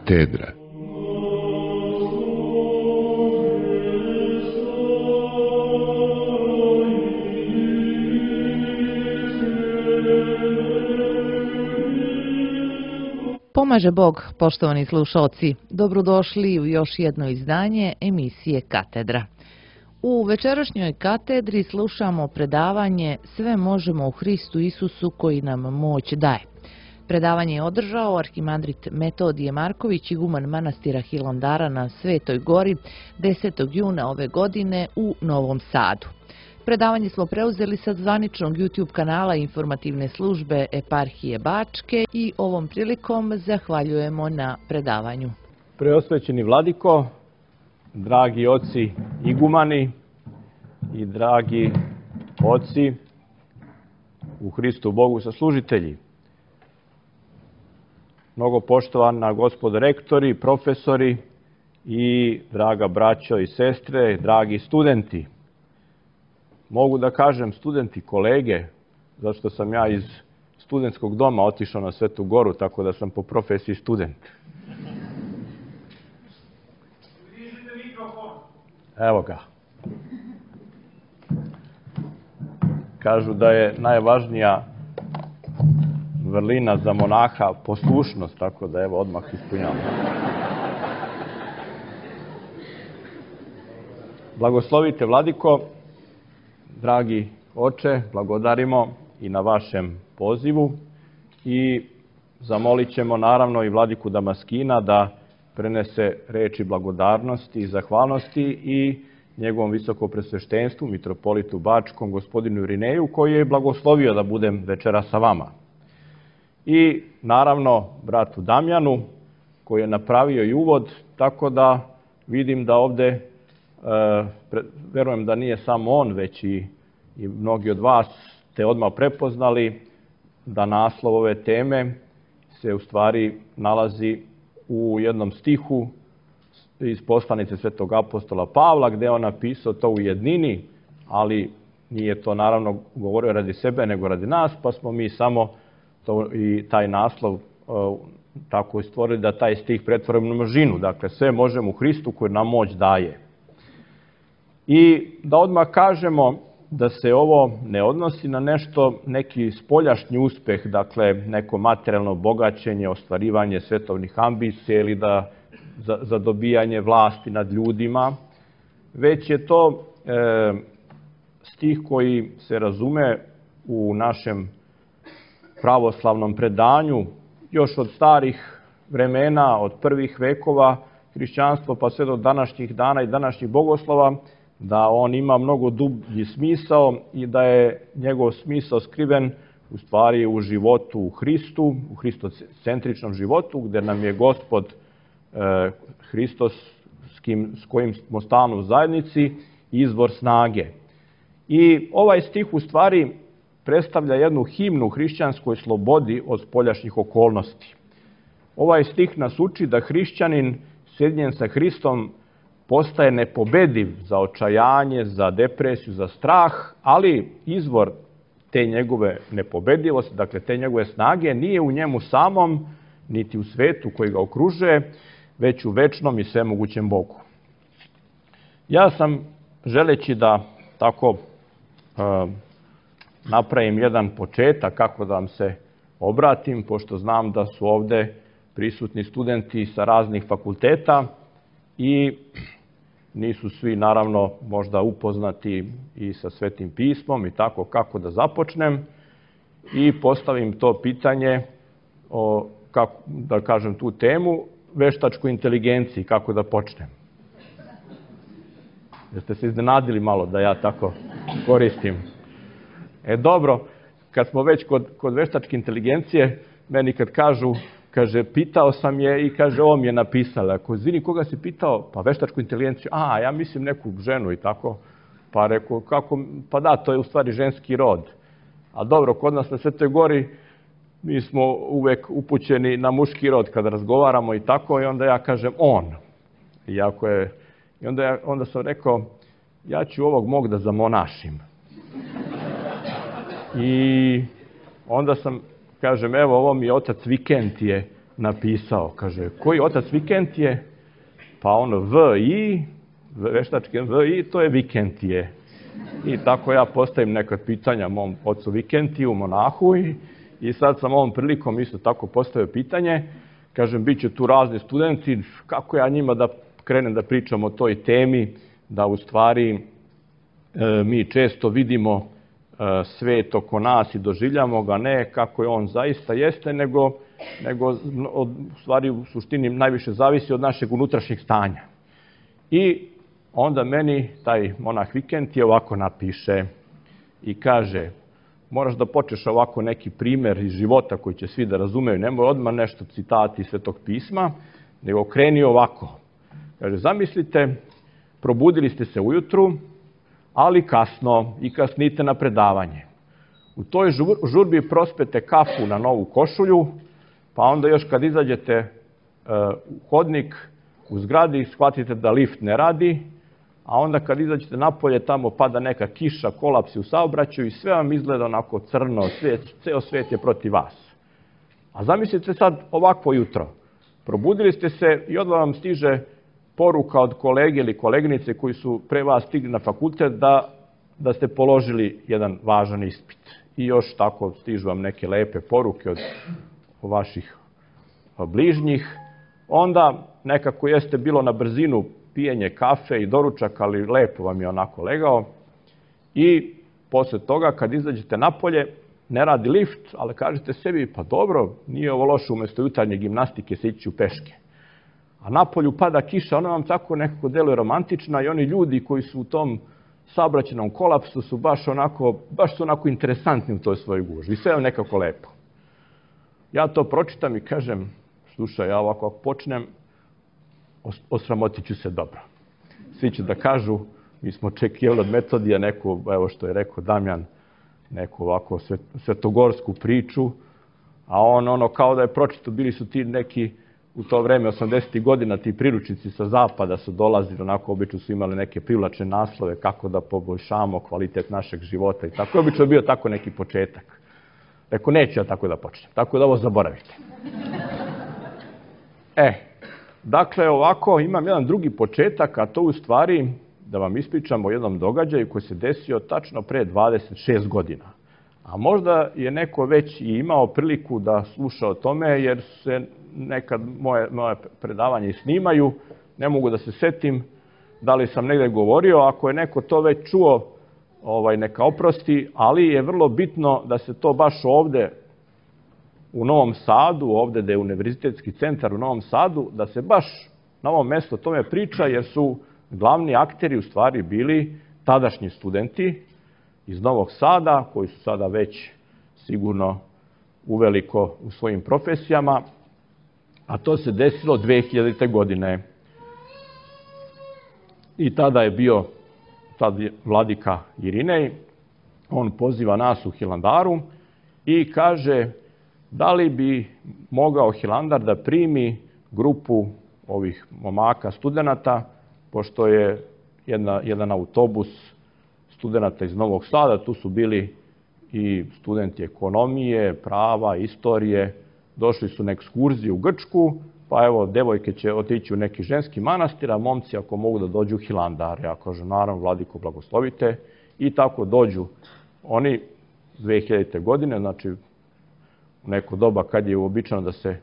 Katedra. Pomaže Bog, poštovani slušalci. Dobrodošli u još jedno izdanje emisije Katedra. U večerašnjoj katedri slušamo predavanje Sve možemo u Hristu Isusu koji nam moć daje. Predavanje je održao arhimandrit Metodije Marković, iguman manastira Hilandara na Svetoj Gori 10. juna ove godine u Novom Sadu. Predavanje smo preuzeli sa zvaničnog YouTube kanala informativne službe Eparhije Bačke i ovom prilikom zahvaljujemo na predavanju. Preosvećeni vladiko, dragi oci igumani i dragi oci u Hristu Bogu saslužitelji, mnogo poštovana gospodo rektori, profesori i draga braćo i sestre, dragi studenti. Mogu da kažem studenti, kolege, zato što sam ja iz studentskog doma otišao na Svetu Goru, tako da sam po profesiji student. Evo ga. Kažu da je najvažnija vrlina za monaha poslušnost, tako da evo odmah ispunjamo. Blagoslovite vladiko, dragi oče, blagodarimo i na vašem pozivu i zamolit ćemo naravno i vladiku Damaskina da prenese reči blagodarnosti i zahvalnosti i njegovom visokopresveštenstvu, mitropolitu Bačkom, gospodinu Irineju, koji je blagoslovio da budem večera sa vama. I naravno bratu Damjanu, koji je napravio i uvod, tako da vidim da ovde, verujem da nije samo on, već i mnogi od vas ste odmah prepoznali da naslov ove teme se u stvari nalazi u jednom stihu iz poslanice svetog apostola Pavla, gde je on napisao to u jednini, ali nije to naravno govorio radi sebe, nego radi nas, pa smo mi samo to i taj naslov tako stvorili da taj stih pretvorimo na množinu. Dakle, sve možemo u Hristu koji nam moć daje. I da odmah kažemo da se ovo ne odnosi na neki spoljašnji uspeh, dakle neko materijalno bogaćenje, ostvarivanje svetovnih ambicija ili za dobijanje vlasti nad ljudima, već je to stih koji se razume u našem pravoslavnom predanju još od starih vremena, od prvih vekova hrišćanstva pa sve do današnjih dana i današnjih bogoslova, da on ima mnogo dublji smisao i da je njegov smisao skriven u stvari u životu u Hristu, u hristocentričnom životu, gde nam je Gospod Hristos s kojim smo stalno u zajednici izvor snage. I ovaj stih u stvari predstavlja jednu himnu hrišćanskoj slobodi od spoljašnjih okolnosti. Ovaj stih nas uči da hrišćanin sjedinjen sa Hristom postaje nepobediv za očajanje, za depresiju, za strah, ali izvor te njegove nepobedivosti, dakle te njegove snage, nije u njemu samom, niti u svetu koji ga okružuje, već u večnom i svemogućem Bogu. Ja sam, želeći da tako napravim jedan početak kako da vam se obratim, pošto znam da su ovde prisutni studenti sa raznih fakulteta i nisu svi naravno možda upoznati i sa Svetim pismom i tako kako da započnem i postavim to pitanje, kako da kažem tu temu, veštačkoj inteligenciji, kako da počnem. Jeste se iznenadili malo da ja tako koristim? Dobro, kad smo već kod veštačke inteligencije, meni kad kažu, kaže, pitao sam je i kaže, ovo mi je napisala. Ako izvini, koga si pitao? Pa veštačku inteligenciju. Ja mislim neku ženu i tako. Pa rekao, kako? Pa da, to je u stvari ženski rod. A dobro, kod nas na Svetoj Gori mi smo uvek upućeni na muški rod kada razgovaramo i tako. I onda ja kažem on. I onda sam rekao, ja ću ovog mog da zamonašim. I onda sam, kažem, evo, ovo mi je otac Vikentije napisao. Kaže, koji otac Vikentije? Pa ono V.I., veštački V.I., to je Vikentije. I tako ja postavim nekad pitanja mom ocu Vikentiju, monahu, i sad sam ovom prilikom isto tako postavio pitanje. Kažem, bit će tu razni studenti, kako ja njima da krenem da pričam o toj temi, da u stvari mi često vidimo svet oko nas i doživljamo ga ne kako je on zaista jeste, nego u stvari u suštini najviše zavisi od našeg unutrašnjeg stanja. I onda meni taj monah Vikentije ovako napiše i kaže, moraš da počneš ovako neki primer iz života koji će svi da razumeju, nemoj odmah nešto citati iz Svetog pisma, nego kreni ovako. Kaže, zamislite, probudili ste se ujutru, ali kasno i kasnite na predavanje. U toj žurbi prospete kafu na novu košulju, pa onda još kad izađete u hodnik u zgradi, shvatite da lift ne radi, a onda kad izađete napolje, tamo pada neka kiša, kolapsi u saobraćaju i sve vam izgleda onako crno, ceo svet je protiv vas. A zamislite sad ovakvo jutro. Probudili ste se i odmah vam stiže poruka od kolege ili koleginice koji su pre vas stigli na fakultet da ste položili jedan važan ispit. I još tako stižu vam neke lepe poruke od vaših bližnjih. Onda nekako jeste bilo na brzinu pijenje kafe i doručak, ali lepo vam je onako legao. I posle toga, kad izađete napolje, ne radi lift, ali kažete sebi, pa dobro, nije ovo loše, umesto jutarnje gimnastike se ići u peške. A napolju pada kiša, ona vam tako nekako deluje romantična i oni ljudi koji su u tom saobraćajnom kolapsu su baš su onako interesantni u toj svojoj gužvi. I sve je nekako lepo. Ja to pročitam i kažem, slušaj, ja ovako ako počnem, osramotit ću se dobro. Svi će da kažu, mi smo očekivali od Metodija neku, evo što je rekao Damjan, neku ovako svetogorsku priču, a on kao da je pročito, bili su ti neki u to vreme, 80. godina, ti priručnici sa zapada su dolazili, onako obično su imali neke privlačne naslove kako da poboljšamo kvalitet našeg života i tako. Obično je bio tako neki početak. Rekao, neću ja tako da počnem, tako da ovo zaboravite. Dakle, ovako, imam jedan drugi početak, a to u stvari da vam ispričam o jednom događaju koji se desio tačno pre 26 godina. A možda je neko već i imao priliku da sluša o tome, jer se nekad moje predavanje snimaju, ne mogu da se setim da li sam negde govorio, ako je neko to već čuo, neka oprosti, ali je vrlo bitno da se to baš ovde u Novom Sadu, ovde gde je Univerzitetski centar u Novom Sadu, da se baš na ovom mestu o tome priča, jer su glavni akteri u stvari bili tadašnji studenti iz Novog Sada, koji su sada već sigurno uveliko u svojim profesijama, a to se desilo 2000. godine. I tada je bio vladika Irinej, on poziva nas u Hilandaru i kaže da li bi mogao Hilandar da primi grupu ovih momaka studenata, pošto je jedan autobus studenata iz Novog Sada, tu su bili i studenti ekonomije, prava, istorije, došli su na ekskurziju u Grčku, pa evo, devojke će otići u neki ženski manastir, a momci ako mogu da dođu u Hilandar. Ja kažem, naravno, vladiko, blagoslovite. I tako dođu oni 2000. godine, znači u neko doba kad je uobičajeno da se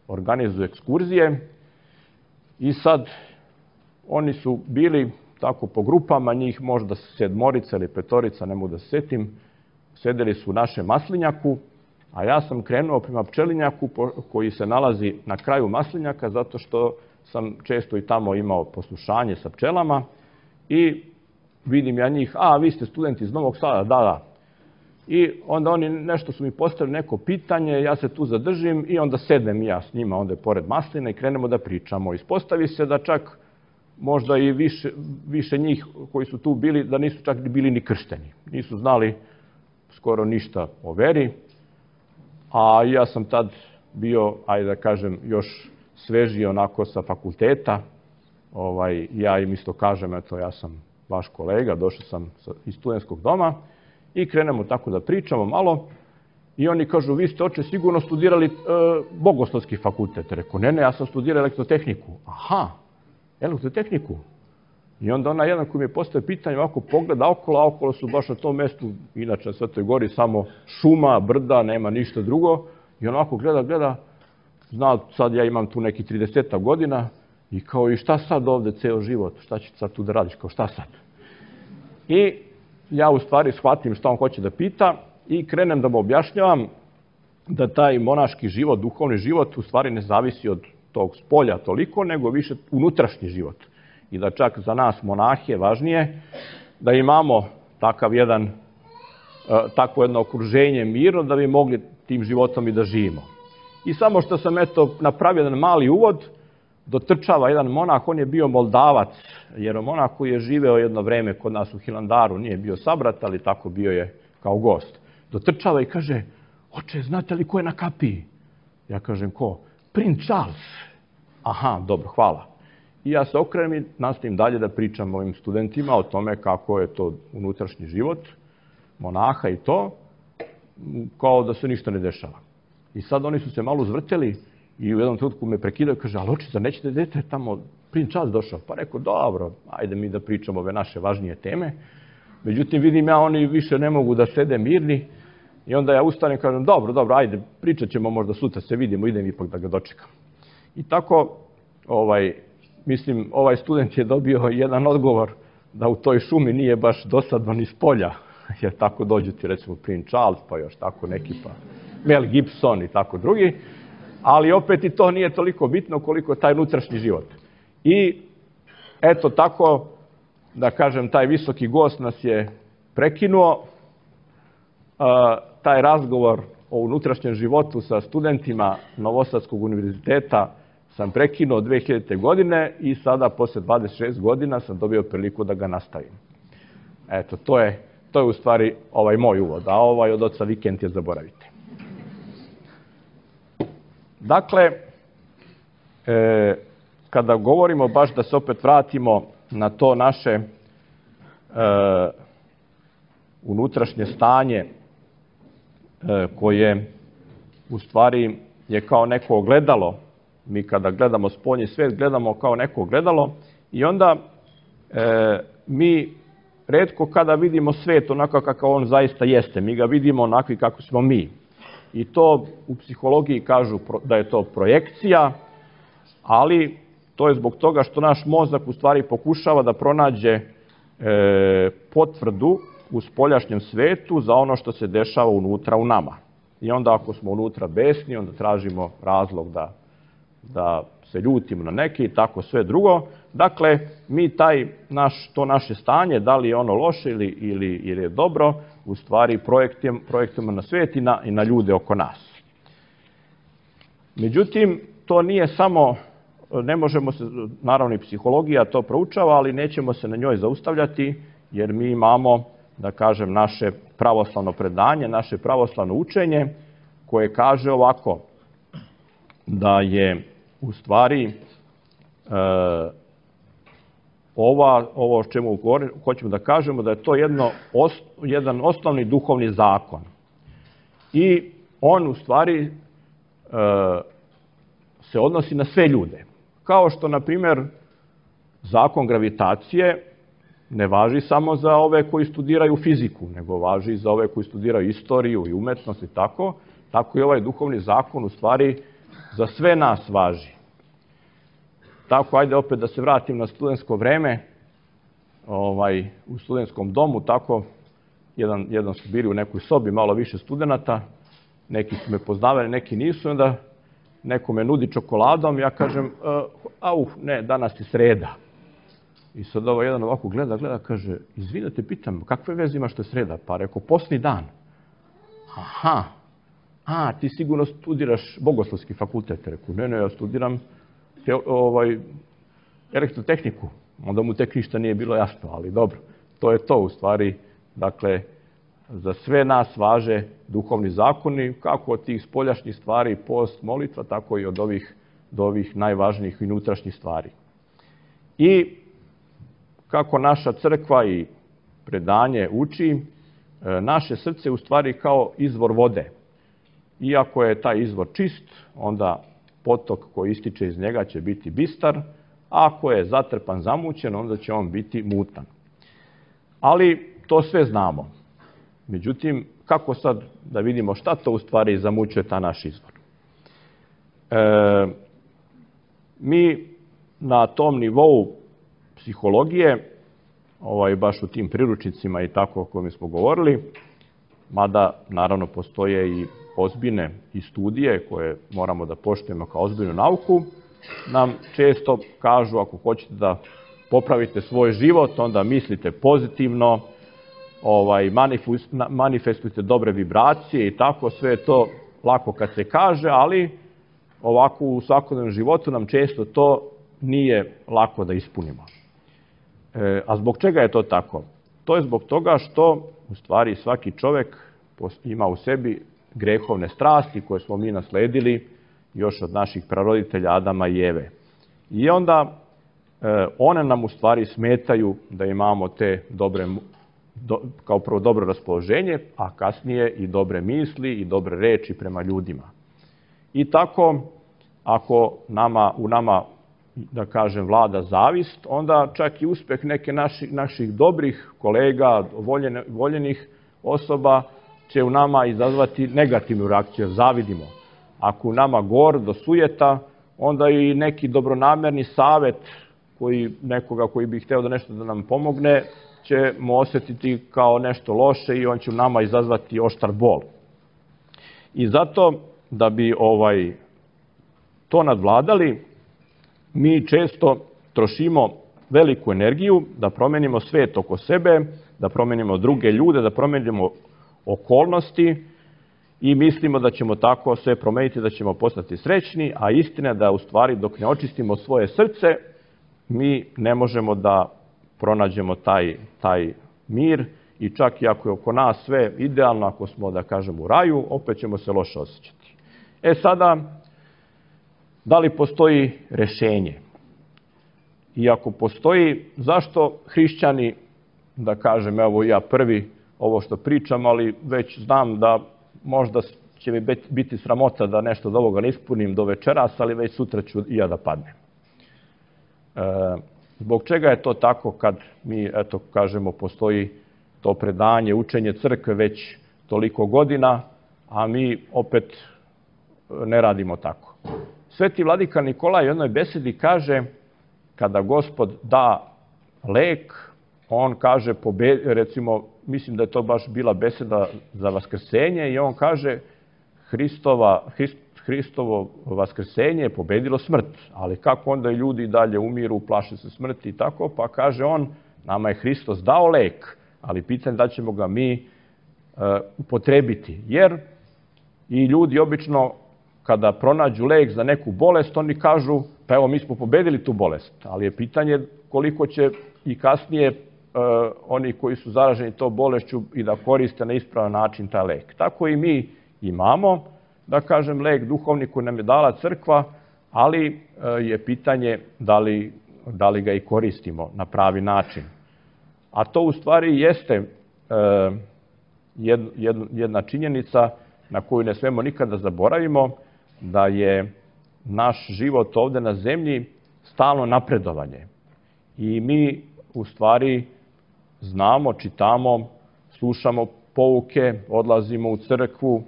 organizuju ekskurzije. I sad, oni su bili tako po grupama, njih možda 7 ili 5, ne mogu da se setim, sedeli su u našem maslinjaku, a ja sam krenuo prema pčelinjaku koji se nalazi na kraju maslinjaka, zato što sam često i tamo imao poslušanje sa pčelama i vidim ja njih, vi ste studenti iz Novog Sada, da. I onda oni nešto su mi postavili neko pitanje, ja se tu zadržim i onda sednem ja s njima onda pored masline i krenemo da pričamo. Ispostavi se da čak možda i više njih koji su tu bili, da nisu čak bili ni kršteni. Nisu znali skoro ništa o veri, a ja sam tad bio, ajde da kažem, još svežiji onako sa fakulteta. Ja im isto kažem, eto, ja sam vaš kolega, došao sam iz studentskog doma i krenemo tako da pričamo malo I oni kažu, vi ste, oče, sigurno studirali bogoslovski fakultet. Rekao, ne, ja sam studirao elektrotehniku. Aha, elektrotehniku. I onda ona jedan koji mi je postavio pitanje, ovako pogleda okolo, a okolo su baš na tom mestu, inače na Svetoj gori, samo šuma, brda, nema ništa drugo. I on ovako gleda, zna, sad ja imam tu neki 30 godina i kao, i šta sad ovde ceo život, šta ćeš sad tu da radiš, kao šta sad? I ja u stvari shvatim šta on hoće da pita i krenem da mu objašnjavam da taj monaški život, duhovni život, u stvari ne zavisi od tog spolja toliko, nego više unutrašnji život. I da čak za nas monahe važnije da imamo takvo jedno okruženje mirno da bi mogli tim životom i da živimo. I samo što sam napravio jedan mali uvod, dotrčava jedan monah, on je bio Moldavac, jer monah koji je živeo jedno vreme kod nas u Hilandaru, nije bio sabrat, ali tako bio je kao gost. Dotrčava i kaže, oče, znate li ko je na kapiji? Ja kažem, ko? Princ Charles. Aha, dobro, hvala. I ja se okrenem i nastavim dalje da pričam ovim studentima o tome kako je to unutrašnji život monaha i to, kao da se ništa ne dešava. I sad oni su se malo uzvrteli i u jednom trenutku me prekidaju i kaže, ali oče, zar nećete dete tamo, princ Charles došao? Pa rekao, dobro, ajde mi da pričamo ove naše važnije teme. Međutim, vidim ja, oni više ne mogu da sede mirni i onda ja ustanem i kažem, dobro, ajde, pričat ćemo, možda sutra se vidimo, idem ipak da ga dočekam. I tako, mislim, ovaj student je dobio jedan odgovor da u toj šumi nije baš dosadno ni s polja, jer tako dođu ti recimo Prince Charles, pa još tako neki, pa Mel Gibson i tako drugi, ali opet i to nije toliko bitno koliko je taj unutrašnji život. I eto tako, da kažem, taj visoki gost nas je prekinuo, taj razgovor o unutrašnjem životu sa studentima Novosadskog univerziteta sam prekinuo 2000. godine i sada, posle 26 godina, sam dobio priliku da ga nastavim. Eto, to je u stvari ovaj moj uvod, a ovaj od oca Vikentija zaboravite. Dakle, kada govorimo baš da se opet vratimo na to naše unutrašnje stanje koje u stvari je kao neko ogledalo, mi kada gledamo spoljni svet, gledamo kao neko ogledalo i onda mi retko kada vidimo svet onako kakav on zaista jeste, mi ga vidimo onakvi kako smo mi. I to u psihologiji kažu da je to projekcija, ali to je zbog toga što naš mozak u stvari pokušava da pronađe potvrdu u spoljašnjem svetu za ono što se dešava unutra u nama. I onda ako smo unutra besni, onda tražimo razlog da se ljutimo na neki i tako sve drugo. Dakle, mi to naše stanje, da li je ono loše ili je dobro, u stvari projektujemo na svet i na ljude oko nas. Međutim, to nije samo, ne možemo se, naravno i psihologija to proučava, ali nećemo se na njoj zaustavljati, jer mi imamo, da kažem, naše pravoslavno predanje, naše pravoslavno učenje, koje kaže ovako, da je u stvari ovo o čemu hoćemo da kažemo, da je to jedan osnovni duhovni zakon. I on u stvari se odnosi na sve ljude. Kao što, na primjer, zakon gravitacije ne važi samo za ove koji studiraju fiziku, nego važi i za ove koji studiraju istoriju i umetnost i tako. Tako i ovaj duhovni zakon u stvari za sve nas važi. Tako, ajde opet da se vratim na studentsko vreme, u studentskom domu, tako, jedan su bili u nekoj sobi, malo više studenata, neki su me poznavali, neki nisu, onda neko me nudi čokoladom, ja kažem, ne, danas je sreda. I sad jedan ovako gleda, kaže, izvinite, pitam, kakve veze ima što je sreda? Pa rekao, posni dan. Aha, ti sigurno studiraš bogoslovski fakultet. Rekao, ne, ja studiram elektrotehniku. Onda mu tek ništa nije bilo jasno, ali dobro. To je to u stvari. Dakle, za sve nas važe duhovni zakoni, kako od tih spoljašnjih stvari, post, molitva, tako i od ovih najvažnijih i unutrašnjih stvari. I kako naša crkva i predanje uči, naše srce u stvari kao izvor vode. iako je taj izvor čist, onda potok koji ističe iz njega će biti bistar, a ako je zatrpan, zamućen, onda će on biti mutan. Ali to sve znamo. Međutim, kako sad da vidimo šta to u stvari zamućuje ta naš izvor? Mi na tom nivou psihologije, baš u tim priručnicima i tako o kojima smo govorili, mada naravno postoje i ozbiljne i studije koje moramo da poštujemo kao ozbiljnu nauku, nam često kažu ako hoćete da popravite svoj život, onda mislite pozitivno, manifestujte dobre vibracije i tako, sve je to lako kad se kaže, ali ovako u svakodnevnom životu nam često to nije lako da ispunimo. A zbog čega je to tako? To je zbog toga što u stvari svaki čovek ima u sebi grehovne strasti koje smo mi nasledili još od naših praroditelja Adama i Eve. I onda one nam u stvari smetaju da imamo te dobre, kao prvo dobro raspoloženje, a kasnije i dobre misli i dobre reči prema ljudima. I tako, ako u nama, da kažem, vlada zavist, onda čak i uspeh neke naših dobrih kolega, voljenih osoba, će u nama izazvati negativnu reakciju, zavidimo. Ako u nama gordo, sujeta, onda i neki dobronamerni savet nekoga koji bi hteo da nešto da nam pomogne, ćemo osjetiti kao nešto loše i on će u nama izazvati oštar bol. I zato, da bi to nadvladali, mi često trošimo veliku energiju da promenimo svet oko sebe, da promenimo druge ljude, da promenimo okolnosti i mislimo da ćemo tako sve promeniti, da ćemo postati srećni, a istina je da u stvari dok ne očistimo svoje srce, mi ne možemo da pronađemo taj mir i čak i ako je oko nas sve idealno, ako smo, da kažem, u raju, opet ćemo se loše osjećati. Sada, da li postoji rešenje? I ako postoji, zašto hrišćani, da kažem, evo ja prvi ovo što pričam, ali već znam da možda će mi biti sramota da nešto od ovoga ne ispunim do večeras, ali već sutra ću i ja da padnem. Zbog čega je to tako kad mi, eto, kažemo, postoji to predanje, učenje crkve već toliko godina, a mi opet ne radimo tako? Sveti vladika Nikolaj u jednoj besedi kaže, kada Gospod da lek, on kaže, recimo, mislim da je to baš bila beseda za vaskrsenje, i on kaže, Hristovo vaskrsenje je pobedilo smrt, ali kako onda i ljudi dalje umiru, plaše se smrti i tako, pa kaže on, nama je Hristos dao lek, ali pitanje da ćemo ga mi upotrebiti, jer i ljudi obično kada pronađu lek za neku bolest, oni kažu, pa evo mi smo pobedili tu bolest, ali je pitanje koliko će i kasnije oni koji su zaraženi to bolešću i da koriste na ispravan način taj lek. Tako i mi imamo, da kažem, lek duhovni koji nam je dala crkva, ali je pitanje da li ga i koristimo na pravi način. A to u stvari jeste jedna činjenica na koju ne smemo nikada zaboravimo, da je naš život ovde na zemlji stalno napredovanje. I mi u stvari znamo, čitamo, slušamo pouke, odlazimo u crkvu,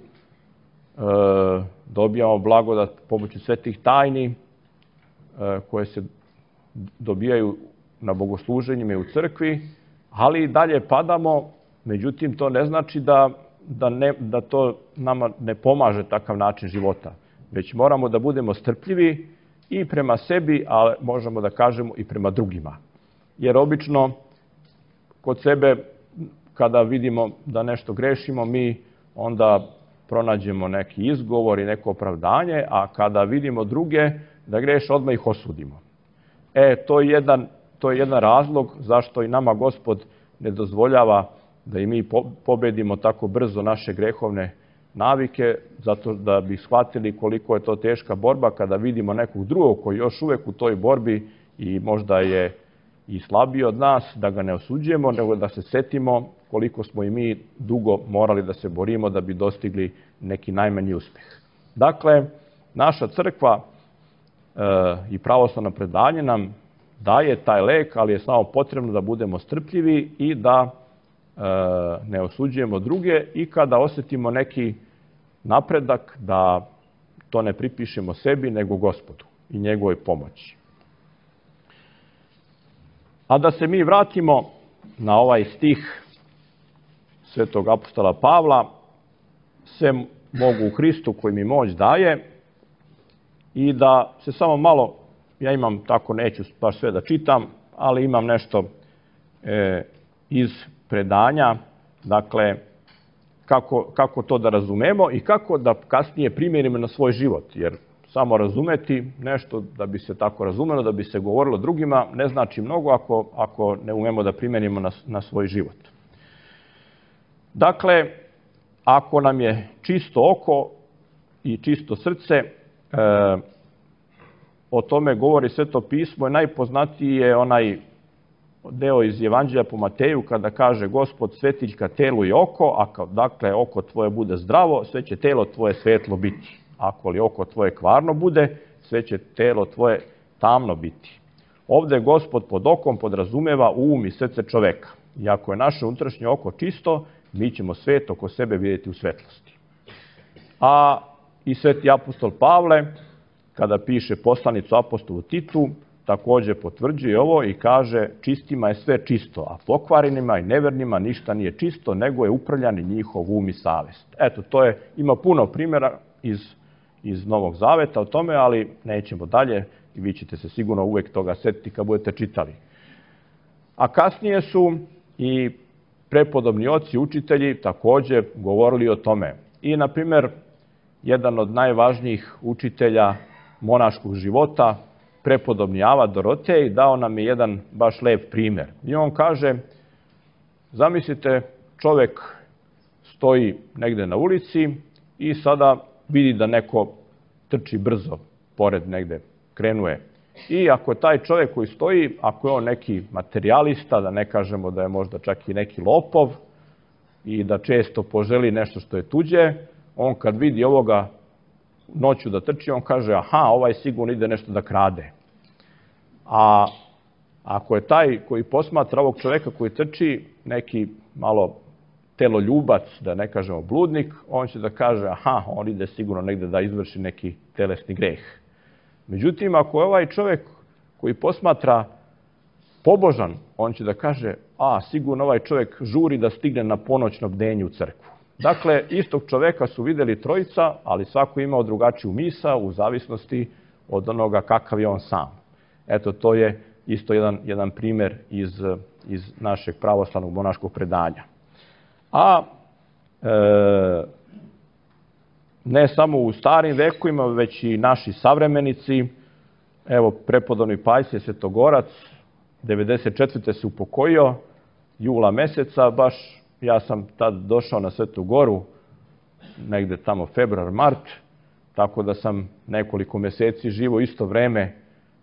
dobijamo blagodat pomoću svetih tajni koje se dobijaju na bogosluženjima i u crkvi, ali i dalje padamo, međutim to ne znači da to nama ne pomaže takav način života, već moramo da budemo strpljivi i prema sebi, a možemo da kažemo i prema drugima. Jer obično kod sebe, kada vidimo da nešto grešimo, mi onda pronađemo neki izgovor i neko opravdanje, a kada vidimo druge da greše, odmah ih osudimo. To je jedan razlog zašto i nama Gospod ne dozvoljava da i mi pobedimo tako brzo naše grehovne navike, zato da bi shvatili koliko je to teška borba kada vidimo nekog drugog koji još uvek u toj borbi i možda je i slabiji od nas, da ga ne osuđujemo, nego da se setimo koliko smo i mi dugo morali da se borimo da bi dostigli neki najmanji uspeh. Dakle, naša crkva i pravoslavno predanje nam daje taj lek, ali je samo potrebno da budemo strpljivi i da ne osuđujemo druge i kada osetimo neki napredak, da to ne pripišemo sebi, nego Gospodu i njegovoj pomoći. A da se mi vratimo na ovaj stih svetog apostola Pavla, sve mogu u Hristu koji mi moć daje, i da se samo malo, ja imam tako, neću baš sve da čitam, ali imam nešto iz predanja, dakle, kako to da razumemo i kako da kasnije primjerimo na svoj život, jer samo razumeti nešto da bi se tako razumelo, da bi se govorilo drugima, ne znači mnogo ako ne umemo da primjenimo na svoj život. Dakle, ako nam je čisto oko i čisto srce, o tome govori Sveto pismo, i najpoznatiji je onaj deo iz Evanđelja po Mateju kada kaže Gospod svetiljka telu i oko, a dakle oko tvoje bude zdravo, sve će telo tvoje svetlo biti. Ako li oko tvoje kvarno bude, sve će telo tvoje tamno biti. Ovde Gospod pod okom podrazumeva um i srce čoveka. I ako je naše unutrašnje oko čisto, mi ćemo svet oko sebe vidjeti u svetlosti. A i sveti apostol Pavle, kada piše poslanicu apostolu Titu, također potvrđuje ovo i kaže čistima je sve čisto, a pokvarenima i nevernima ništa nije čisto, nego je upravljan njihov um i savest. Eto, ima puno primjera iz Novog Zaveta o tome, ali nećemo dalje i vi ćete se sigurno uvek toga setiti kad budete čitali. A kasnije su i prepodobni oci, učitelji također govorili o tome. I, na primjer, jedan od najvažnijih učitelja monaškog života, prepodobni Ava Dorotej, dao nam je jedan baš lep primjer. I on kaže, zamislite, čovjek stoji negde na ulici i sada vidi da neko trči brzo pored negde, krenuje. I ako je taj čovjek koji stoji, ako je on neki materijalista, da ne kažemo da je možda čak i neki lopov i da često poželi nešto što je tuđe, on kad vidi ovoga noću da trči, on kaže, aha, ovaj sigurno ide nešto da krade. A ako je taj koji posmatra ovog čovjeka koji trči neki malo teloljubac, da ne kažemo bludnik, on će da kaže, aha, on ide sigurno negde da izvrši neki telesni greh. Međutim, ako je ovaj čovjek koji posmatra pobožan, on će da kaže, sigurno ovaj čovjek žuri da stigne na ponoćno bdenje u crkvu. Dakle, istog čovjeka su vidjeli trojica, ali svako imao drugačiju misao u zavisnosti od onoga kakav je on sam. Eto, to je isto jedan primjer iz našeg pravoslavnog monaškog predanja. A ne samo u starim vekovima, već i naši savremenici, evo, prepodobni Pajsije Svetogorac, 94. se upokojio, jula meseca, baš ja sam tad došao na Svetu Goru, negde tamo februar, mart, tako da sam nekoliko mjeseci živo isto vreme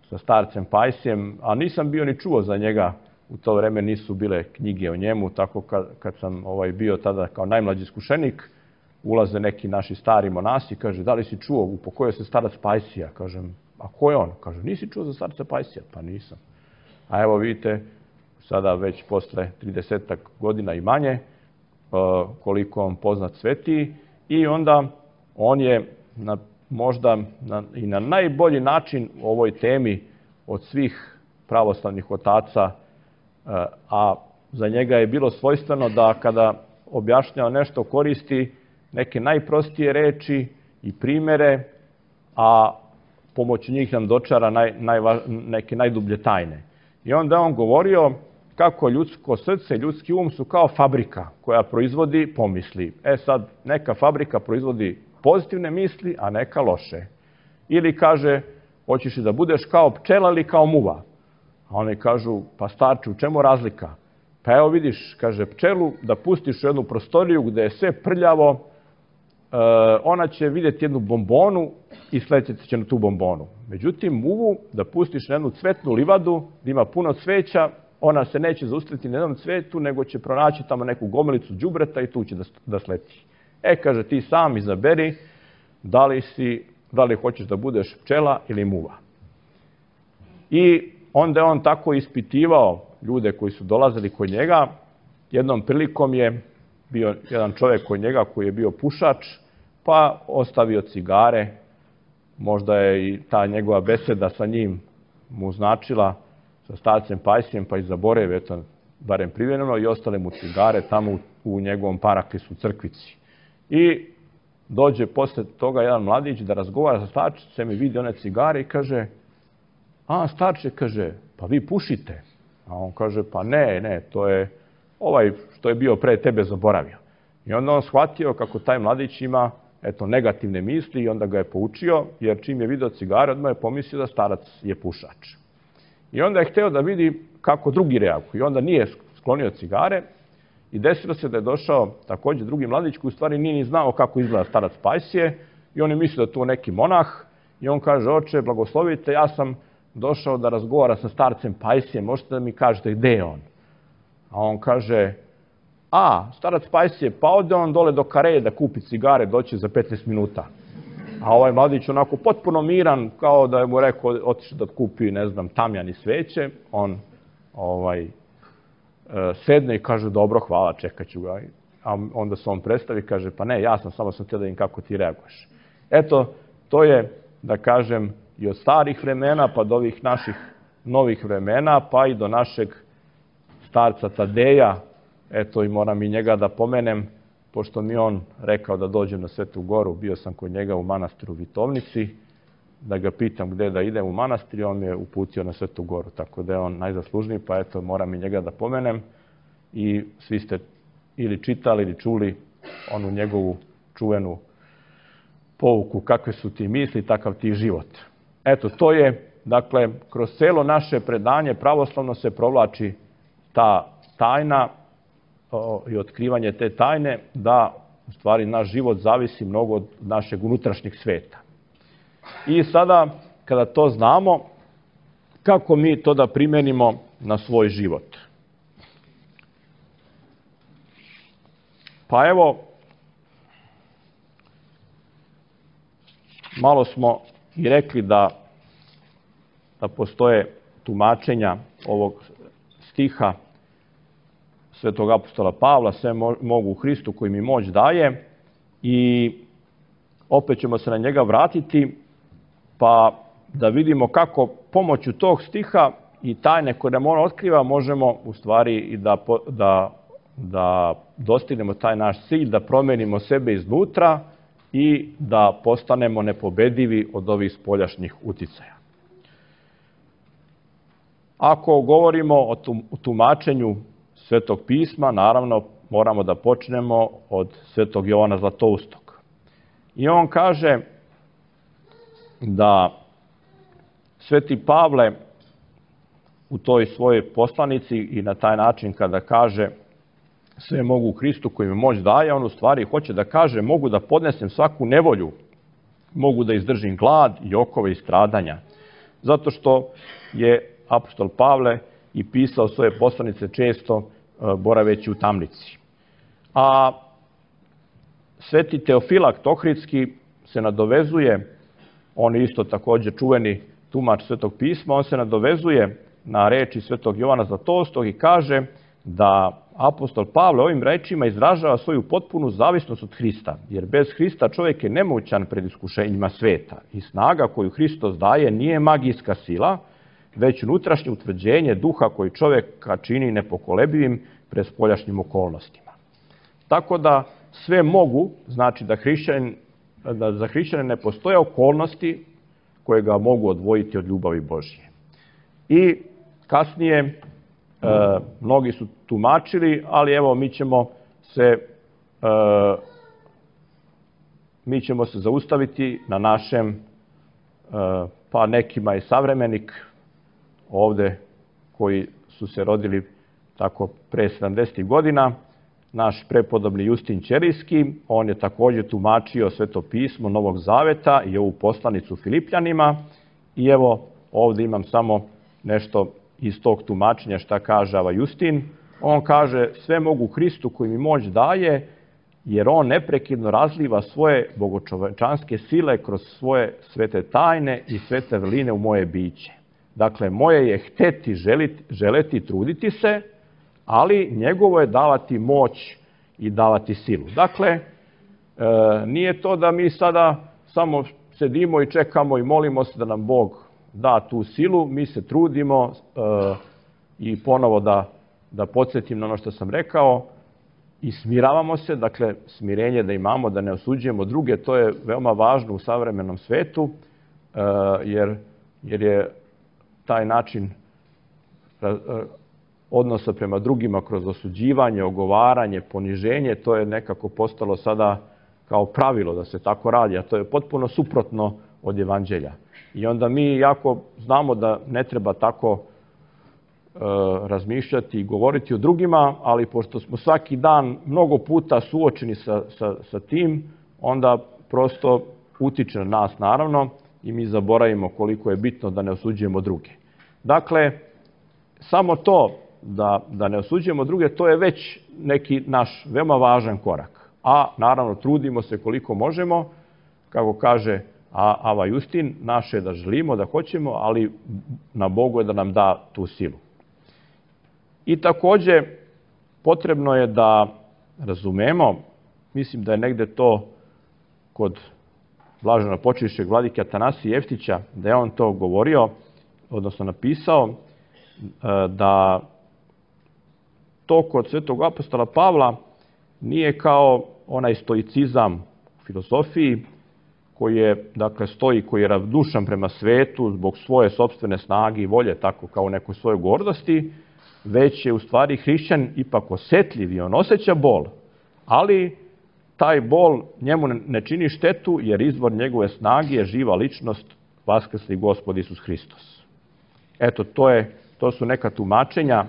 sa starcem Pajsijem, a nisam bio ni čuo za njega, u to vreme nisu bile knjige o njemu, tako kad sam bio tada kao najmlađi iskušenik, ulaze neki naši stari monasi, kaže, da li si čuo, upokojio se starac Pajsija? Kažem, a ko je on? Kaže, nisi čuo za starca Pajsija? Pa nisam. A evo vidite, sada već posle 30 godina i manje, koliko on poznat svetiji, i onda on je možda i na najbolji način u ovoj temi od svih pravoslavnih otaca, a za njega je bilo svojstveno da kada objašnjava nešto koristi neke najprostije reči i primjere, a pomoću njih nam dočara neke najdublje tajne. I onda on govorio kako ljudsko srce, ljudski um su kao fabrika koja proizvodi pomisli. Sad, neka fabrika proizvodi pozitivne misli, a neka loše. Ili kaže, hoćeš li da budeš kao pčela ili kao muva? A oni kažu, pa starče, u čemu razlika? Pa evo vidiš, kaže, pčelu da pustiš u jednu prostoriju gde je sve prljavo, ona će vidjeti jednu bombonu i sletjeti će na tu bombonu. Međutim, muvu da pustiš na jednu cvetnu livadu, gdje ima puno cveća, ona se neće zaustaviti na jednom cvetu, nego će pronaći tamo neku gomilicu đubreta i tu će da sleti. Kaže, ti sam izaberi da li hoćeš da budeš pčela ili muva. I onda je on tako ispitivao ljude koji su dolazili kod njega. Jednom prilikom je bio jedan čovjek kod njega koji je bio pušač, pa ostavio cigare. Možda je i ta njegova beseda sa njim mu značila, sa starcem Pajsijem, pa i zaboravio, eto, barem privremeno, i ostale mu cigare tamo u njegovom paraklisu crkvici. I dođe posle toga jedan mladić da razgovara sa starčicem i vidi one cigare i kaže, starče, kaže, pa vi pušite? A on kaže, pa ne, to je ovaj što je bio pre tebe zaboravio. I onda on shvatio kako taj mladić ima, eto, negativne misli i onda ga je poučio, jer čim je video cigare, odmah je pomislio da starac je pušač. I onda je hteo da vidi kako drugi reaguju. I onda nije sklonio cigare i desilo se da je došao takođe drugi mladić koji u stvari nije ni znao kako izgleda starac Pajsije i on je mislio da je to neki monah i on kaže, oče, blagoslovite, ja sam došao da razgovara sa starcem Pajsijem, možete da mi kažete gde je on? A on kaže, starac Pajsije, pa ode on dole do Kareje da kupi cigare, doće za 15 minuta. A ovaj mladić onako potpuno miran, kao da je mu rekao, otišao da kupi, ne znam, tamjan i sveće. On sedne i kaže, dobro, hvala, čekat ću ga. A onda se on predstavi i kaže, pa ne, ja samo sam htio da vidim kako ti reaguješ. Eto, to je, da kažem, i od starih vremena, pa do ovih naših novih vremena, pa i do našeg starca Tadeja. Eto, i moram i njega da pomenem, pošto mi on rekao da dođem na Svetu Goru, bio sam kod njega u manastiru Vitovnici, da ga pitam gde da idem u manastir i on me je uputio na Svetu Goru, tako da je on najzaslužniji, pa eto, moram i njega da pomenem. I svi ste ili čitali ili čuli onu njegovu čuvenu pouku, kakve su ti misli, takav ti život. Eto, to je, dakle, kroz celo naše predanje pravoslavno se provlači ta tajna i otkrivanje te tajne, da u stvari naš život zavisi mnogo od našeg unutrašnjeg sveta. I sada, kada to znamo, kako mi to da primenimo na svoj život? Pa evo, malo smo i rekli da postoje tumačenja ovog stiha Svetog apostola Pavla, sve mogu u Hristu koji mi moć daje, i opet ćemo se na njega vratiti, pa da vidimo kako pomoću tog stiha i tajne koje nam on otkriva možemo u stvari i da dostignemo taj naš cilj, da promenimo sebe iznutra i da postanemo nepobedivi od ovih spoljašnjih uticaja. Ako govorimo o tumačenju Svetog pisma, naravno moramo da počnemo od Svetog Jovana Zlatoustog. I on kaže da Sveti Pavle u toj svojoj poslanici i na taj način kada kaže sve mogu u Hristu koji mi moć daje, on u stvari hoće da kaže mogu da podnesem svaku nevolju, mogu da izdržim glad i okove i stradanja. Zato što je apostol Pavle i pisao svoje poslanice često boraveći u tamnici. A Sveti Teofilakt Ohridski se nadovezuje, on je isto također čuveni tumač Svetog pisma, on se nadovezuje na reči Svetog Jovana Zlatoustog i kaže da apostol Pavle ovim rečima izražava svoju potpunu zavisnost od Hrista, jer bez Hrista čovjek je nemoćan pred iskušenjima sveta i snaga koju Hristos daje nije magijska sila, već unutrašnje utvrđenje duha koji čovjeka čini nepokolebivim pred spoljašnjim okolnostima. Tako da sve mogu, znači da za hrišćane ne postoje okolnosti koje ga mogu odvojiti od ljubavi Božje. I kasnije mnogi su tumačili, ali evo mi ćemo se zaustaviti na našem, pa nekima je savremenik ovde koji su se rodili tako pre 70. godina, naš prepodobni Justin Ćerijski. On je također tumačio Sveto pismo Novog Zaveta i ovu poslanicu Filipljanima. I evo ovdje imam samo nešto iz tog tumačenja šta kaže Justin. On kaže: sve mogu Hristu koji mi moć daje, jer on neprekidno razliva svoje bogočovečanske sile kroz svoje svete tajne i svete vrline u moje biće. Dakle, moje je hteti, želeti, truditi se, ali njegovo je davati moć i davati silu. Dakle, nije to da mi sada samo sedimo i čekamo i molimo se da nam Bog da tu silu, mi se trudimo i ponovo da podsjetim na ono što sam rekao, i smiravamo se, dakle smirenje da imamo, da ne osuđujemo druge, to je veoma važno u savremenom svetu, jer je taj način odnosa prema drugima kroz osuđivanje, ogovaranje, poniženje, to je nekako postalo sada kao pravilo da se tako radi, a to je potpuno suprotno od evanđelja. I onda mi, jako znamo da ne treba tako razmišljati i govoriti o drugima, ali pošto smo svaki dan mnogo puta suočeni sa tim, onda prosto utiče na nas naravno i mi zaboravimo koliko je bitno da ne osuđujemo druge. Dakle, samo to da ne osuđujemo druge, to je već neki naš veoma važan korak. A naravno trudimo se koliko možemo, kako kaže Ava Justin, naše je da želimo, da hoćemo, ali na Bogu je da nam da tu silu. I također potrebno je da razumemo, mislim da je negde to kod blaženopočivšeg vladike Atanasija Jeftića, da je on to govorio, odnosno napisao, da to kod svetog apostola Pavla nije kao onaj stoicizam u filozofiji, koji je, dakle, stoji, koji je ravnodušan prema svetu zbog svoje sopstvene snage i volje, tako kao u nekoj svojoj gordosti, već je u stvari hrišćan ipak osjetljiv i on osjeća bol, ali taj bol njemu ne čini štetu, jer izvor njegove snage je živa ličnost, vaskrsli Gospod Isus Hristos. Eto, to su neka tumačenja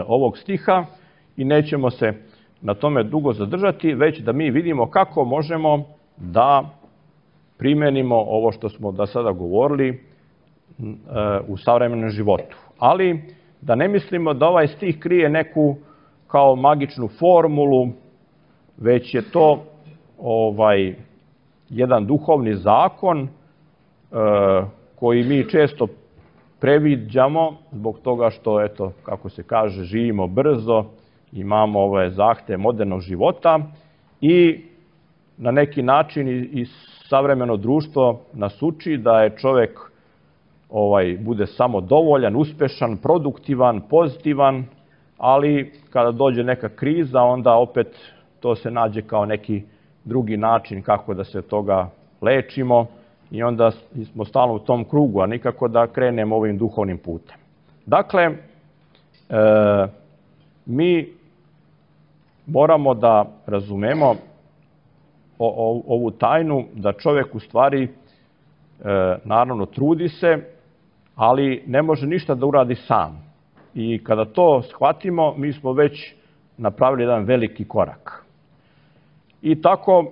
ovog stiha i nećemo se na tome dugo zadržati, već da mi vidimo kako možemo da primenimo ovo što smo do sada govorili u savremenom životu. Ali da ne mislimo da ovaj stih krije neku kao magičnu formulu, već je to jedan duhovni zakon koji mi često previđamo zbog toga što, eto, kako se kaže, živimo brzo, imamo ove zahteve modernog života i na neki način i savremeno društvo nas uči da je čovjek bude samodovoljan, uspešan, produktivan, pozitivan, ali kada dođe neka kriza, onda opet to se nađe kao neki drugi način kako da se toga lečimo i onda smo stalno u tom krugu, a nikako da krenemo ovim duhovnim putem. Dakle, mi moramo da razumemo ovu tajnu da čovjek u stvari naravno trudi se, ali ne može ništa da uradi sam. I kada to shvatimo, mi smo već napravili jedan veliki korak. I tako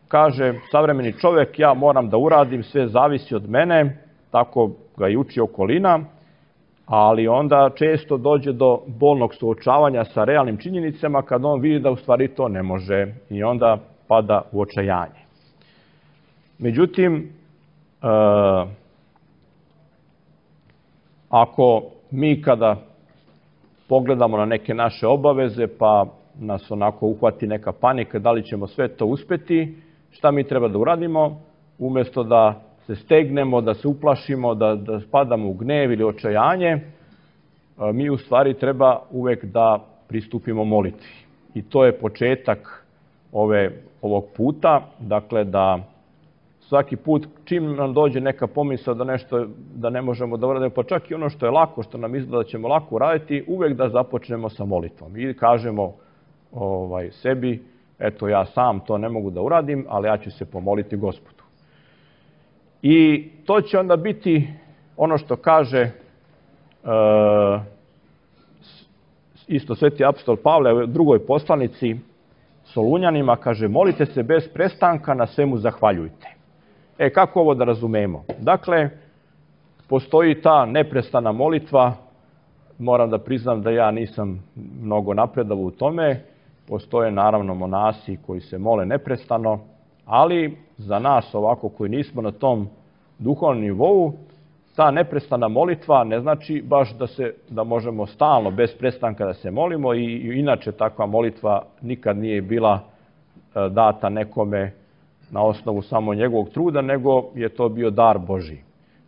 kaže savremeni čovjek, ja moram da uradim, sve zavisi od mene, tako ga i uči okolina, ali onda često dođe do bolnog suočavanja sa realnim činjenicama kad on vidi da u stvari to ne može i onda pada u očajanje. Međutim, ako mi kada pogledamo na neke naše obaveze pa nas onako uhvati neka panika da li ćemo sve to uspeti, šta mi treba da uradimo? Umjesto da se stegnemo, da se uplašimo, da spadamo u gnev ili očajanje, mi u stvari treba uvek da pristupimo molitvi. I to je početak ovog puta, dakle da svaki put čim nam dođe neka pomisao da nešto da ne možemo da uradimo, pa čak i ono što je lako, što nam izgleda da ćemo lako uraditi, uvek da započnemo sa molitvom i kažemo sebi, eto ja sam to ne mogu da uradim, ali ja ću se pomoliti Gospodu. I to će onda biti ono što kaže isto sveti apostol Pavle u drugoj poslanici Solunjanima kaže: molite se bez prestanka, na svemu zahvaljujte. Kako ovo da razumemo? Dakle, postoji ta neprestana molitva. Moram da priznam da ja nisam mnogo napredovao u tome. Postoje naravno monasi koji se mole neprestano, ali za nas ovako koji nismo na tom duhovnom nivou, ta neprestana molitva ne znači baš da možemo stalno, bez prestanka da se molimo, i inače takva molitva nikad nije bila data nekome na osnovu samo njegovog truda, nego je to bio dar Božji.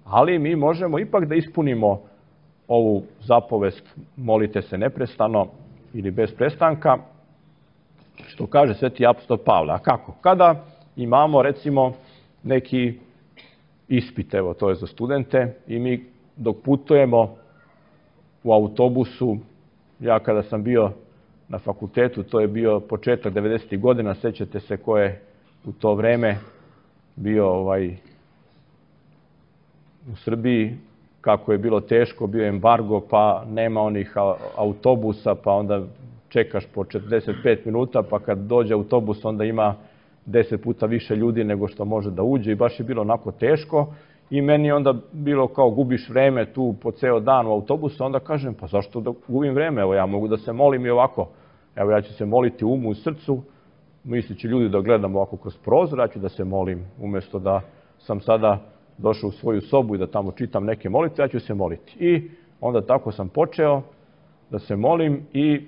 Ali mi možemo ipak da ispunimo ovu zapovest molite se neprestano ili bez prestanka, što kaže sveti apostol Pavle. A kako? Kada imamo recimo neki ispit, evo to je za studente, i mi dok putujemo u autobusu, ja kada sam bio na fakultetu, to je bio početak 90. godina, sećate se ko je u to vreme bio u Srbiji, kako je bilo teško, bio embargo, pa nema onih autobusa, pa onda čekaš po 45 minuta, pa kad dođe autobus onda ima 10 puta više ljudi nego što može da uđe, i baš je bilo onako teško. I meni onda bilo kao gubiš vreme tu po ceo dan u autobusu, onda kažem pa zašto da gubim vreme, evo ja mogu da se molim i ovako, evo ja ću se moliti u umu i srcu, mislići ljudi da gledam ovako kroz prozor, ja ću da se molim, umesto da sam sada došao u svoju sobu i da tamo čitam neke molitve, ja ću se moliti. I onda tako sam počeo da se molim, i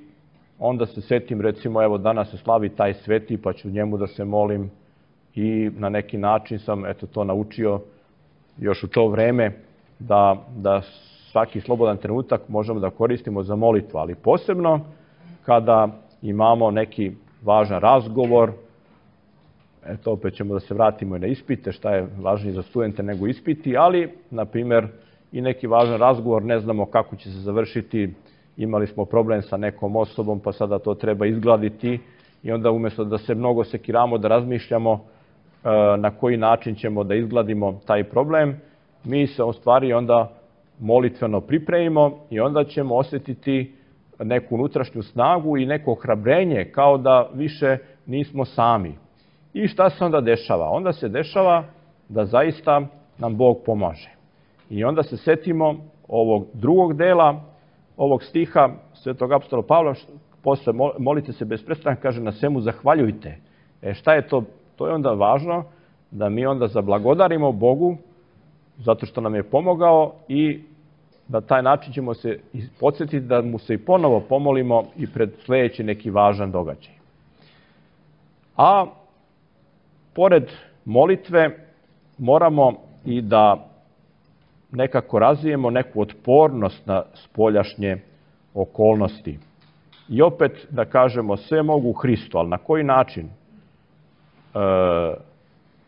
onda se setim, recimo, evo danas se slavi taj sveti, pa ću njemu da se molim, i na neki način sam to naučio još u to vreme, da svaki slobodan trenutak možemo da koristimo za molitvu, ali posebno kada imamo neki važan razgovor. Opet ćemo da se vratimo i na ispite, šta je važnije za studente nego ispiti, ali, na primer, i neki važan razgovor, ne znamo kako će se završiti, imali smo problem sa nekom osobom, pa sada to treba izgladiti, i onda umesto da se mnogo sekiramo, da razmišljamo na koji način ćemo da izgladimo taj problem, mi se u stvari onda molitveno pripremimo, i onda ćemo osjetiti neku unutrašnju snagu i neko ohrabrenje, kao da više nismo sami. I šta se onda dešava? Onda se dešava da zaista nam Bog pomaže. I onda se setimo ovog drugog dela ovog stiha svetog apostola Pavla, posle molite se bez prestanka, kaže na svemu zahvaljujte. Šta je to? To je onda važno da mi onda zablagodarimo Bogu zato što nam je pomogao, i na taj način ćemo se podsjetiti da mu se i ponovo pomolimo i pred sledeći neki važan događaj. A pored molitve moramo i da nekako razvijemo neku otpornost na spoljašnje okolnosti. I opet da kažemo sve mogu u Hristu, ali na koji način?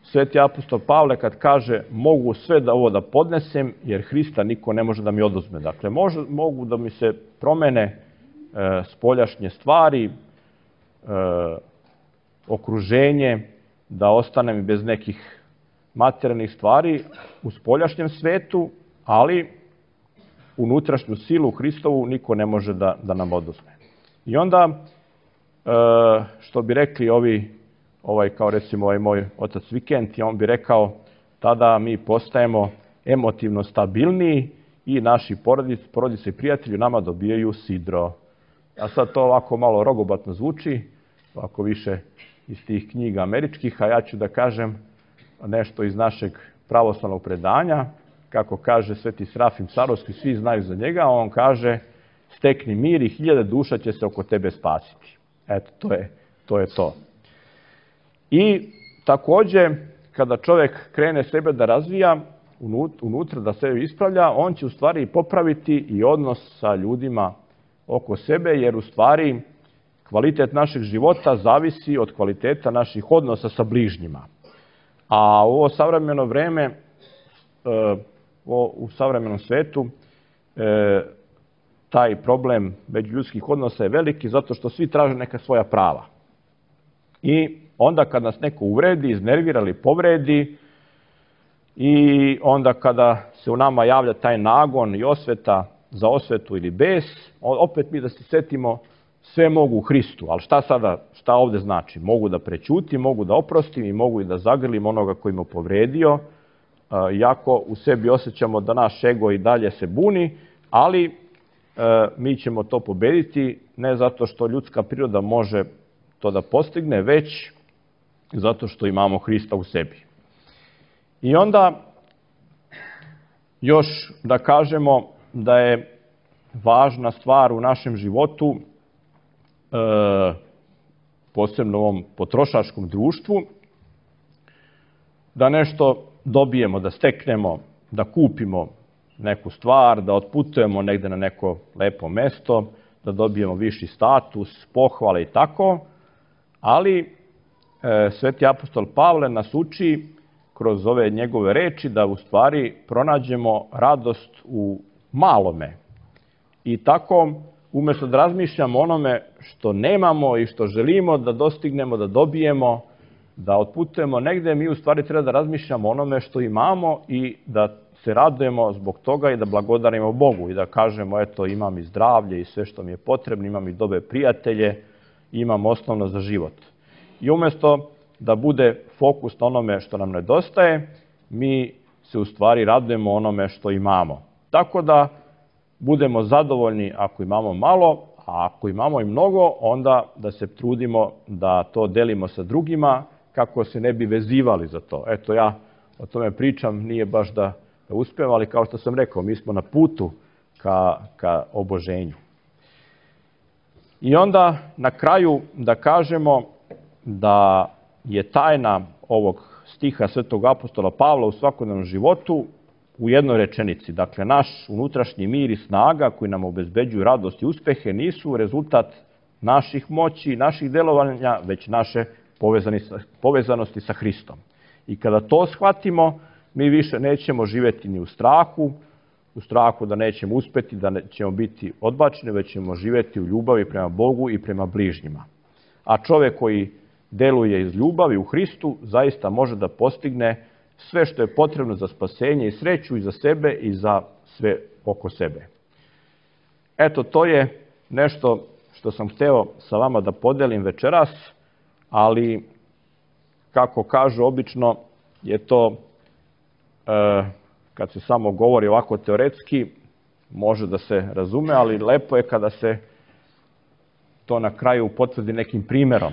Sveti apostol Pavle kad kaže mogu sve da ovo da podnesem, jer Hrista niko ne može da mi oduzme. Dakle, mogu da mi se promene spoljašnje stvari, okruženje, da ostanem bez nekih materijalnih stvari u spoljašnjem svetu, ali unutrašnju silu Hristovu niko ne može da nam oduzme. I onda, što bi rekli kao recimo ovaj moj otac Vikent, on bi rekao, tada mi postajemo emotivno stabilniji i naši porodice i prijatelji nama dobijaju sidro. A sad to ovako malo rogobatno zvuči, ovako više iz tih knjiga američkih, a ja ću da kažem nešto iz našeg pravoslavnog predanja, kako kaže sveti Srafim Sarovski, svi znaju za njega, on kaže stekni mir i 1000 duša će se oko tebe spasiti. Eto, to je to. I takođe, kada čovek krene sebe da razvija, unutra da sebe ispravlja, on će u stvari popraviti i odnos sa ljudima oko sebe, jer u stvari kvalitet našeg života zavisi od kvaliteta naših odnosa sa bližnjima. A u ovo savremeno vreme, u savremenom svetu, taj problem međuljudskih odnosa je veliki zato što svi traže neka svoja prava. I onda kad nas neko uvredi, iznervira ili povredi, i onda kada se u nama javlja taj nagon i osveta za osvetu ili bes, opet mi da se setimo sve mogu u Hristu. Ali šta ovde znači? Mogu da prećutim, mogu da oprostim i mogu i da zagrlim onoga koji me povredio, iako u sebi osjećamo da naš ego i dalje se buni, ali mi ćemo to pobediti ne zato što ljudska priroda može to da postigne, već zato što imamo Hrista u sebi. I onda još da kažemo da je važna stvar u našem životu, posebno u ovom potrošačkom društvu, da nešto dobijemo, da steknemo, da kupimo neku stvar, da otputujemo negde na neko lepo mesto, da dobijemo viši status, pohvale i tako, ali Sveti apostol Pavle nas uči kroz ove njegove reči da u stvari pronađemo radost u malome. I tako, umjesto da razmišljamo onome što nemamo i što želimo da dostignemo, da dobijemo, da otputujemo negde, mi u stvari treba da razmišljamo onome što imamo i da se radujemo zbog toga i da blagodarimo Bogu i da kažemo, eto, imam i zdravlje i sve što mi je potrebno, imam i dobre prijatelje, imam osnovno za život. I umjesto da bude fokus na onome što nam nedostaje, mi se u stvari radujemo onome što imamo. Tako da budemo zadovoljni ako imamo malo, a ako imamo i mnogo, onda da se trudimo da to delimo sa drugima kako se ne bi vezivali za to. Eto, ja o tome pričam, nije baš da uspevam, ali kao što sam rekao, mi smo na putu ka oboženju. I onda na kraju da kažemo da je tajna ovog stiha Svetog apostola Pavla u svakodnevnom životu u jednoj rečenici. Dakle, naš unutrašnji mir i snaga koji nam obezbeđuju radost i uspehe nisu rezultat naših moći, naših delovanja, već naše povezanosti sa Hristom. I kada to shvatimo, mi više nećemo živjeti ni u strahu da nećemo uspeti, da ćemo biti odbačeni, već ćemo živjeti u ljubavi prema Bogu i prema bližnjima. A čovjek koji deluje iz ljubavi u Hristu zaista može da postigne sve što je potrebno za spasenje i sreću i za sebe i za sve oko sebe. Eto, to je nešto što sam hteo sa vama da podelim večeras, ali kako kažu obično je to, kad se samo govori ovako teoretski, može da se razume, ali lepo je kada se to na kraju potvrdi nekim primerom.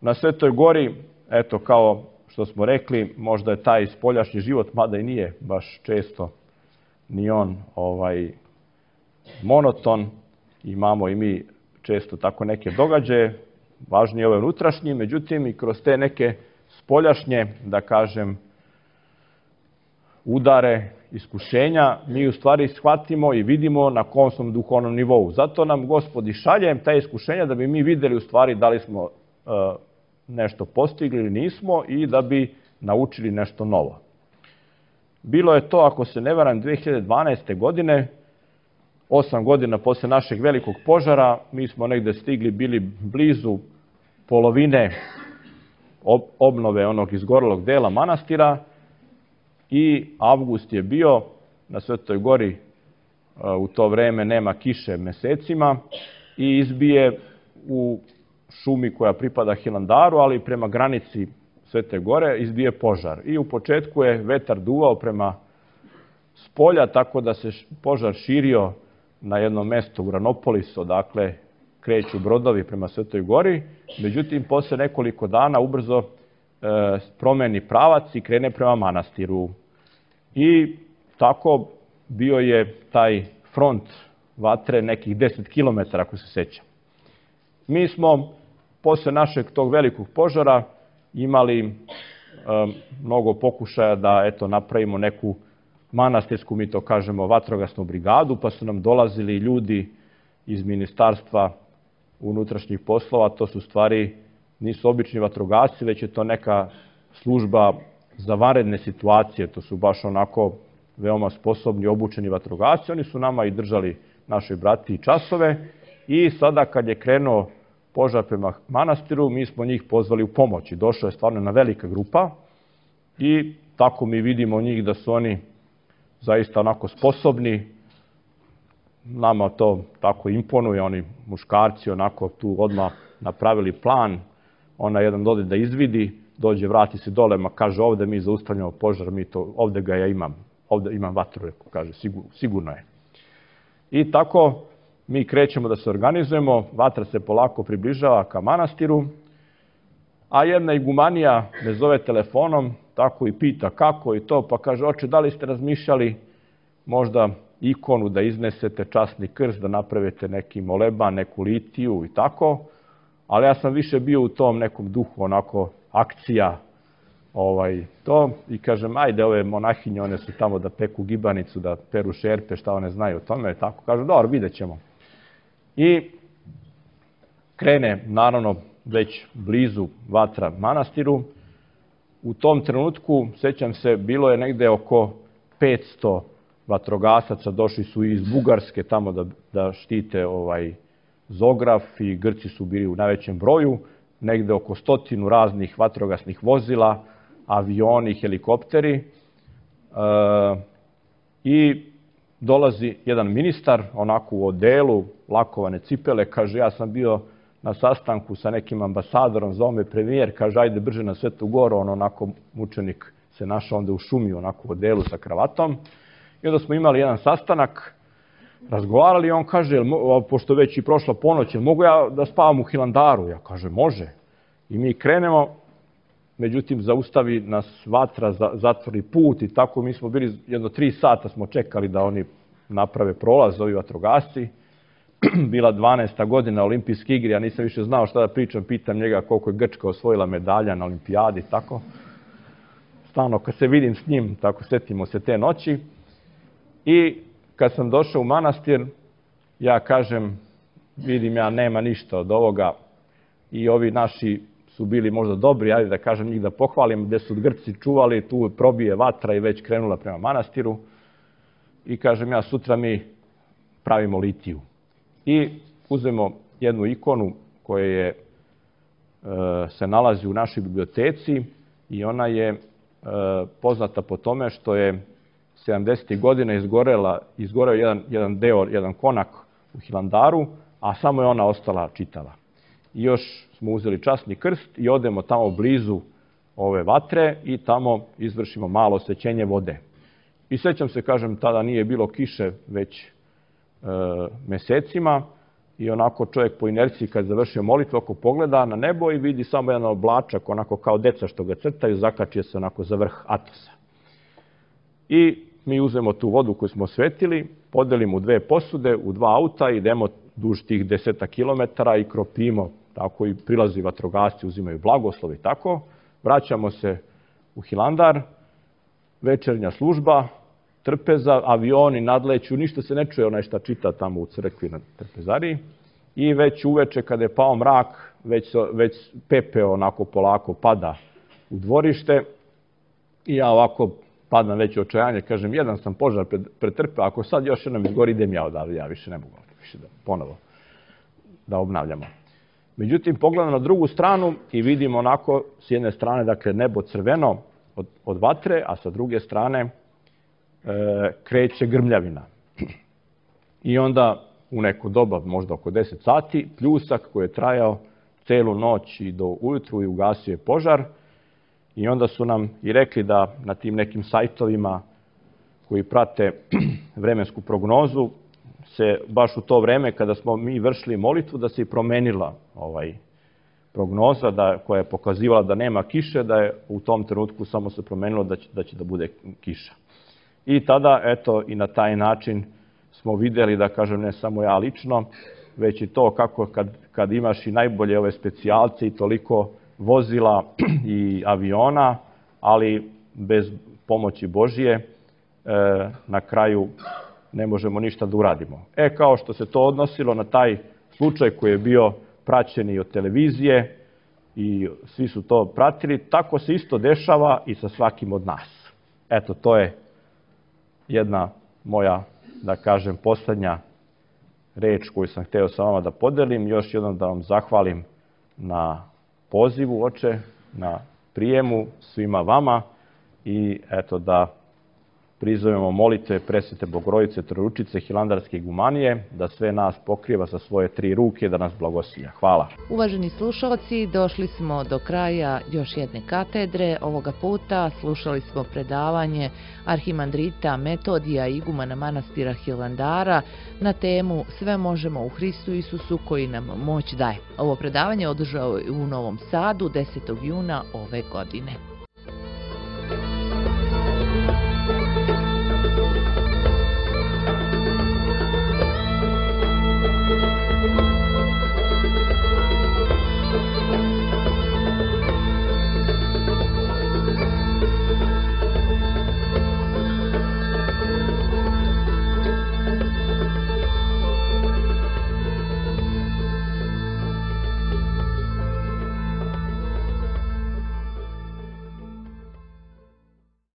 Na Svetoj gori, eto, kao što smo rekli, možda je taj spoljašnji život, mada i nije baš često ni on monoton, imamo i mi često tako neke događaje, važnije je ove unutrašnji, međutim i kroz te neke spoljašnje, da kažem, udare, iskušenja, mi u stvari shvatimo i vidimo na kom smo duhovnom nivou. Zato nam Gospod i šalje te iskušenja da bi mi videli u stvari da li smo nešto postigli ili nismo i da bi naučili nešto novo. Bilo je to, ako se ne varam, 2012. godine, 8 godina posle našeg velikog požara, mi smo negde stigli, bili blizu polovine obnove onog izgorelog dela manastira i avgust je bio na Svetoj gori, u to vreme nema kiše mesecima i izbije u šumi koja pripada Hilandaru, ali prema granici Svete gore izbije požar. I u početku je vetar duvao prema spolja, tako da se požar širio na jedno mesto u Ranopolis, odakle kreću brodovi prema Svetoj gori. Međutim, posle nekoliko dana ubrzo promeni pravac i krene prema manastiru. I tako bio je taj front vatre nekih 10 km, ako se sećam. Mi smo posle našeg tog velikog požara imali mnogo pokušaja da napravimo neku manastirsku, mi to kažemo, vatrogasnu brigadu, pa su nam dolazili ljudi iz Ministarstva unutrašnjih poslova. To su stvari, nisu obični vatrogasci, već je to neka služba za vanredne situacije. To su baš onako veoma sposobni, obučeni vatrogasci. Oni su nama i držali, našoj brati, časove i sada kad je krenuo požar prema manastiru, mi smo njih pozvali u pomoć. Došla je stvarno jedna velika grupa i tako mi vidimo njih da su oni zaista onako sposobni. Nama to tako imponuje, oni muškarci onako tu odmah napravili plan, ona jedan dode da izvidi, dođe, vrati se dole, ma kaže ovde mi zaustavljamo požar, ovde ga ja imam, ovde imam vatru, kaže, sigurno je. I tako mi krećemo da se organizujemo, vatra se polako približava ka manastiru, a jedna igumanija me zove telefonom, tako i pita kako i to, pa kaže, oče, da li ste razmišljali možda ikonu da iznesete, časni krst, da napravite neki moleban, neku litiju i tako, ali ja sam više bio u tom nekom duhu, onako, akcija, to, i kažem, ajde, ove monahinje, one su tamo da peku gibanicu, da peru šerpe, šta one znaju o tome, tako, kažu, dobro, vidjet ćemo. I krene, naravno, već blizu vatra manastiru. U tom trenutku, sećam se, bilo je negde oko 500 vatrogasaca, došli su iz Bugarske tamo da štite Zograf i Grci su bili u najvećem broju, negde oko 100 raznih vatrogasnih vozila, avioni, helikopteri i dolazi jedan ministar, onako u odelu, lakovane cipele, kaže, ja sam bio na sastanku sa nekim ambasadorom, zvao me premijer, kaže, ajde brže na Svetu Goru, onako mučenik se našao onda u šumi, onako u odelu sa kravatom. I onda smo imali jedan sastanak, razgovarali i on kaže, pošto već i prošla ponoć, mogu ja da spavam u Hilandaru? Ja kaže, može. I mi krenemo, međutim, zaustavi nas vatra, zatvori put i tako mi smo bili, jedno 3 sata smo čekali da oni naprave prolaz, ovi vatrogasci. Bila 12. godina olimpijske igre, ja nisam više znao šta da pričam, pitam njega koliko je Grčka osvojila medalja na olimpijadi, tako. Stalno kad se vidim s njim, tako setimo se te noći. I kad sam došao u manastir, ja kažem, vidim ja, nema ništa od ovoga i ovi naši su bili možda dobri, ajde da kažem njih da pohvalim, gde su Grci čuvali, tu probije vatra i već krenula prema manastiru. I kažem ja, sutra mi pravimo litiju. I uzmemo jednu ikonu koja se nalazi u našoj biblioteci i ona je poznata po tome što je 70. godina izgoreo jedan deo, jedan konak u Hilandaru, a samo je ona ostala čitava. I još smo uzeli časni krst i odemo tamo blizu ove vatre i tamo izvršimo malo osvećenje vode. I sećam se, kažem, tada nije bilo kiše već mesecima i onako čovjek po inerciji kad završio molitvu, ako pogleda na nebo i vidi samo jedan oblačak, onako kao deca što ga crtaju, zakačije se onako za vrh Atosa. I mi uzmemo tu vodu koju smo osvetili, podelimo u 2 posude, u 2 auta, idemo duž tih 10 kilometara i kropimo, tako i prilazi vatrogasci, uzimaju blagoslov i tako. Vraćamo se u Hilandar, večernja služba, trpeza, avioni nadleću, ništa se ne čuje onaj šta čita tamo u crkvi na trpezariji. I već uveče kada je pao mrak, već pepeo onako polako pada u dvorište i ja ovako padam već u očajanje, kažem, jedan sam požar pretrpeo, ako sad još jednom izgori, idem ja odavde, ja više ne mogu više ponovo da obnavljamo. Međutim, pogledam na drugu stranu i vidim onako s jedne strane, dakle, nebo crveno od vatre, a sa druge strane kreće grmljavina. I onda u neko doba, možda oko 10 sati, pljusak koji je trajao celu noć i do ujutru i ugasio je požar. I onda su nam i rekli da na tim nekim sajtovima koji prate vremensku prognozu se baš u to vreme kada smo mi vršili molitvu da se i promenila prognoza koja je pokazivala da nema kiše, da je u tom trenutku samo se promenilo da će da bude kiša. I tada, eto, i na taj način smo videli, da kažem, ne samo ja lično, već i to kako kad imaš i najbolje ove specijalce i toliko vozila i aviona, ali bez pomoći Božije na kraju ne možemo ništa da uradimo. Kao što se to odnosilo na taj slučaj koji je bio praćen i od televizije i svi su to pratili, tako se isto dešava i sa svakim od nas. Eto, to je jedna moja, da kažem, poslednja reč koju sam hteo sa vama da podelim. Još jednom da vam zahvalim na pozivu, oče, na prijemu svima vama i eto da prizovemo molitve Presvete Bogorodice, Trojeručice, Hilandarske igumanije, da sve nas pokriva sa svoje 3 ruke, da nas blagosilja. Hvala. Uvaženi slušalci, došli smo do kraja još jedne katedre. Ovoga puta slušali smo predavanje arhimandrita Metodija, igumana manastira Hilandara, na temu Sve možemo u Hristu Isusu koji nam moć daje. Ovo predavanje održao je u Novom Sadu 10. juna ove godine.